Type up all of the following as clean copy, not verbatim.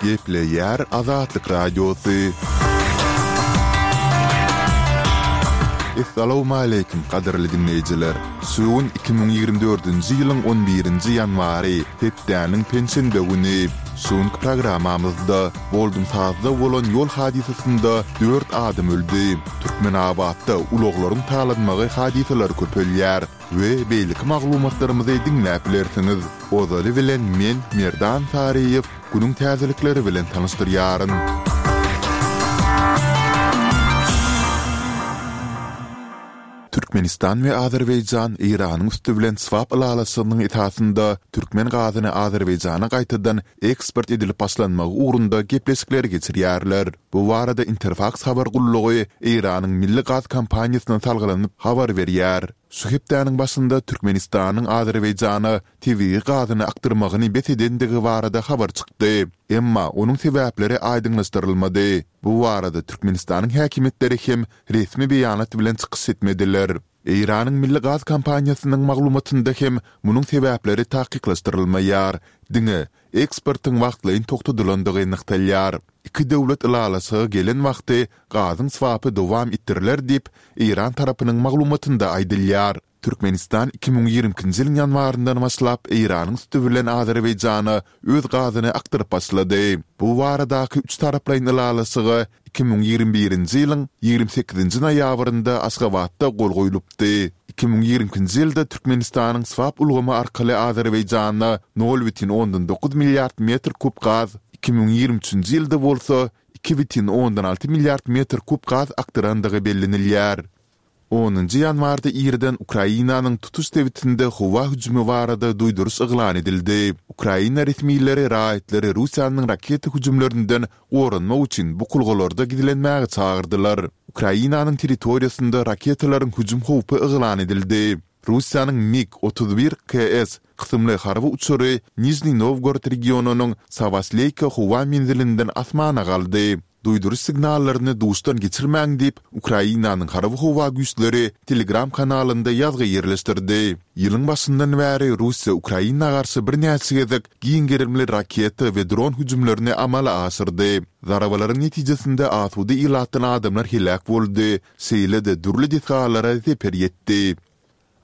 Gepleýär Azatlyk Radiosy. Essalawmaleýkim gadyrly diňleýjiler! Şu gün 2024-nji ýylyň on birinji ýanwary, hepdäniň penşenbe güni. Şu günki programmamyzda Boldumsazda bolan ýol hadysasynda dört adam öldi. Türkmenabatda ulaglaryň talanmagy hadysalary köpelýär we beýleki maglumatlarymyzy diňläp bilersiňiz. Ozaly bilen men Merdan Saryýew günüň täzelikleri bilen tanyşdyrýaryn. Türkmenistan we Azerbaýjan Eýranyň üsti bilen swap ylalaşygynyň esasynda türkmen gazyny Azerbaýjana gaýtadan eksport edilip başlanmagy ugrunda gepleşikleri geçirýärler. Bu barada Interfaks habar gullugy Eýranyň milli gaz kompaniýasyna salgylanyp habar berýär. Şu hepdäniň başynda Türkmenistanyň Azerbaýjana tebigy gazyny akdyrmagyny bes edendigi barada habar çykdy. Emma onuň sebäpleri aýdyňlaşdyrylmady. Bu barada Türkmenistanyň häkimiýetleri hem resmi beýanat bilen çykyş etmediler. Eýranyň milli gaz kompaniýasynyň maglumatynda hem munuň sebäpleri takyklaşdyrylmaýar, diňe eksportyň wagtlaýyn togtadylandygy nygtalýar. Iki döwlet ylalaşyga gelen wagty gazyň swapy dowam etdiriler diýip, eýran tarapynyň maglumatynda aýdylýar. Türkmenistan 2022-nji ýylyň ýanwaryndan başlap Eýranyň üsti bilen Azerbaýjana öz gazyny akdyryp başlady. Bu baradaky üçtaraplaýyn ylalaşyga 2021-nji ýylyň 28-nji noýabrynda Aşgabatda gol goýlupdy. 2022-nji ýylda Türkmenistanyň swap ulgamy arkaly Azerbaýjana nol bütin ondan dokuz milliard metr kub gaz, 2023-nji ýylda bolsa iki bütin ondan alty milliard metr kub gaz akdyrandygy bellenilýär. Onunjy ýanwarda irden Ukrainanyň tutuş sebitinde howa hüjümi barada duýduryş yglan edildi. Ukraina resmileri raýatlary Russiýanyň raketa hüjümlerinden goranmak üçin bukulgalarda gizlenmäge çagyrdylar. Ukrainanyň territoriýasynda raketalaryň hüjüm howpy yglan edildi. Russiýanyň MiG 31 KS kysymly harby uçary Nižniý Nowgorod regionynyň Sawasleýka howa menzilinden asmana galdy. Duýduryş signallaryny duşdan geçirmäň diýip, Ukrainanyň Harby-howa güýçleri Telegram kanalynda ýazgy ýerleşdirdi. Ýylyň başyndan bäri Russiýa Ukraina garşy birnäçe gezek giň gerimli raketa we dron hüjümlerini amala aşyrdy. Zarbalaryň netijesinde asuda ilatdan adamlar heläk boldy, şeýle-de dürli desgalara zeper ýetdi.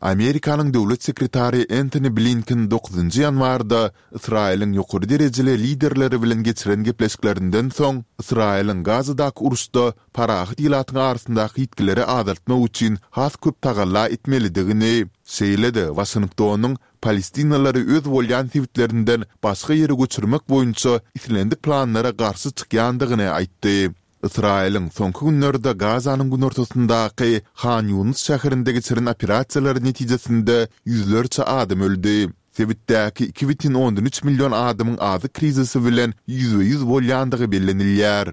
Amerikanyň döwlet sekretary Entoni Blinken dokuzynjy ýanwarda Ysraýylyň ýokary derejeli liderleri bilen geçiren gepleşiklerinden soň, Ysraýylyň Gazadaky uruşda parahat ilatyň arasyndaky ýitgileri azaltmak üçin has köp tagalla etmelidigini, şeýle-de Waşingtonyň palestinalylary öz bolýan sebitlerinden başga ýere göçürmek boýunça islendik planlara garşy çykýandygyny aýtdy. Ysraýylyň soňky günlerde Gazanyň günortasyndaky Han Ýunus şäherinde geçiren operasiýalary netijesinde ýüzlerçe adam öldi. Sebitdäki iki bütin ondan üç million adamyň azyk krizisi bilen ýüzbe-ýüz bolýandygy bellenilýär.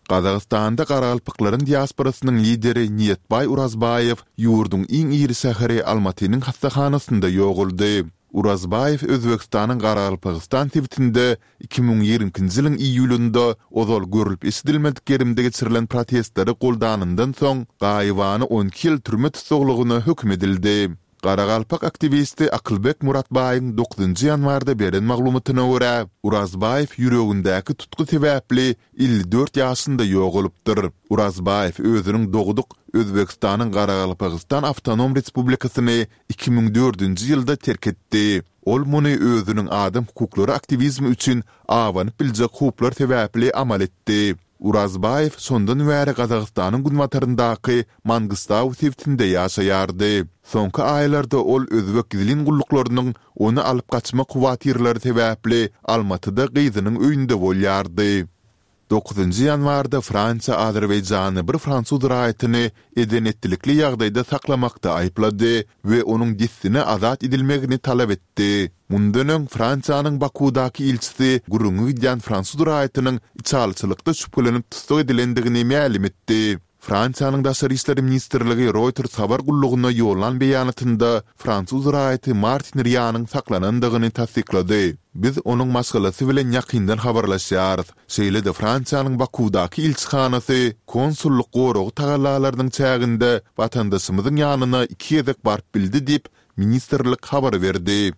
Gazagystanda garagalpaklaryň diasporasynyň lideri Niýetbaý Urazbaýew ýurduň iň iri şäheri Almatynyň hassahanasynda ýogaldy. Urazbaýew Özbegistanyň Garagalpagystan sebitinde 2022-nji ýylyň iýulynda ozal görlüp-eşidilmedik gerimde geçirilen protestleri goldanyndan soň, gaýybana on iki ýyl türme tussaglygyna höküm edildi. Garagalpak aktiwisti Akylbek Muratbaýyň dokuzynjy ýanwarda beren maglumatyna görä, Urazbaýew ýüregindäki tutgy sebäpli 54 ýaşynda ýogalypdyr. Urazbaýew özüniň dogduk Özbegistanyň Garagalpagystan Awtonom Respublikasyny 2004-nji ýylda terk etdi. Ol muny özüniň adam hukuklary aktiwizmi üçin abanyp biljek howplar sebäpli amal etdi. Urazbaýew şondan bäri Gazagystanyň günbataryndaky Mangystau sebitinde ýaşaýardy. Soňky aýlarda ol özbek gizlin gulluklarynyň ony alyp gaçmak howatyrlary sebäpli Almatyda gyzynyň öýünde bolýardy. Dokuzynjy ýanwarda Fransiýa Azerbaýjany bir fransuz raýatyny eden-etdilikli ýagdaýda saklamakda aýyplady we onuň dessine azat edilmegini talap etdi. Mundan öň Fransiýanyň Bakuwdaky ilçisi gürrüňi gidýän fransuz raýatynyň içalyçylykda şübhelenip tussag edilendigini mälim etdi. Fransiýanyň Daşary işler ministrligi Reuters habar gullugyna ýollan beýanatynda fransuz raýaty Martin Rianyň saklanandygyny tassyklady. Biz onuň maşgalasy bilen ýakyndan habarlaşýarys. Şeýle-de Fransiýanyň Bakuwdaky ilçihanasy konsullyk goragy tagallalarynyň çäginde watandaşymyzyň ýanyna iki gezek baryp bildi diýip, ministrlik habar berdi.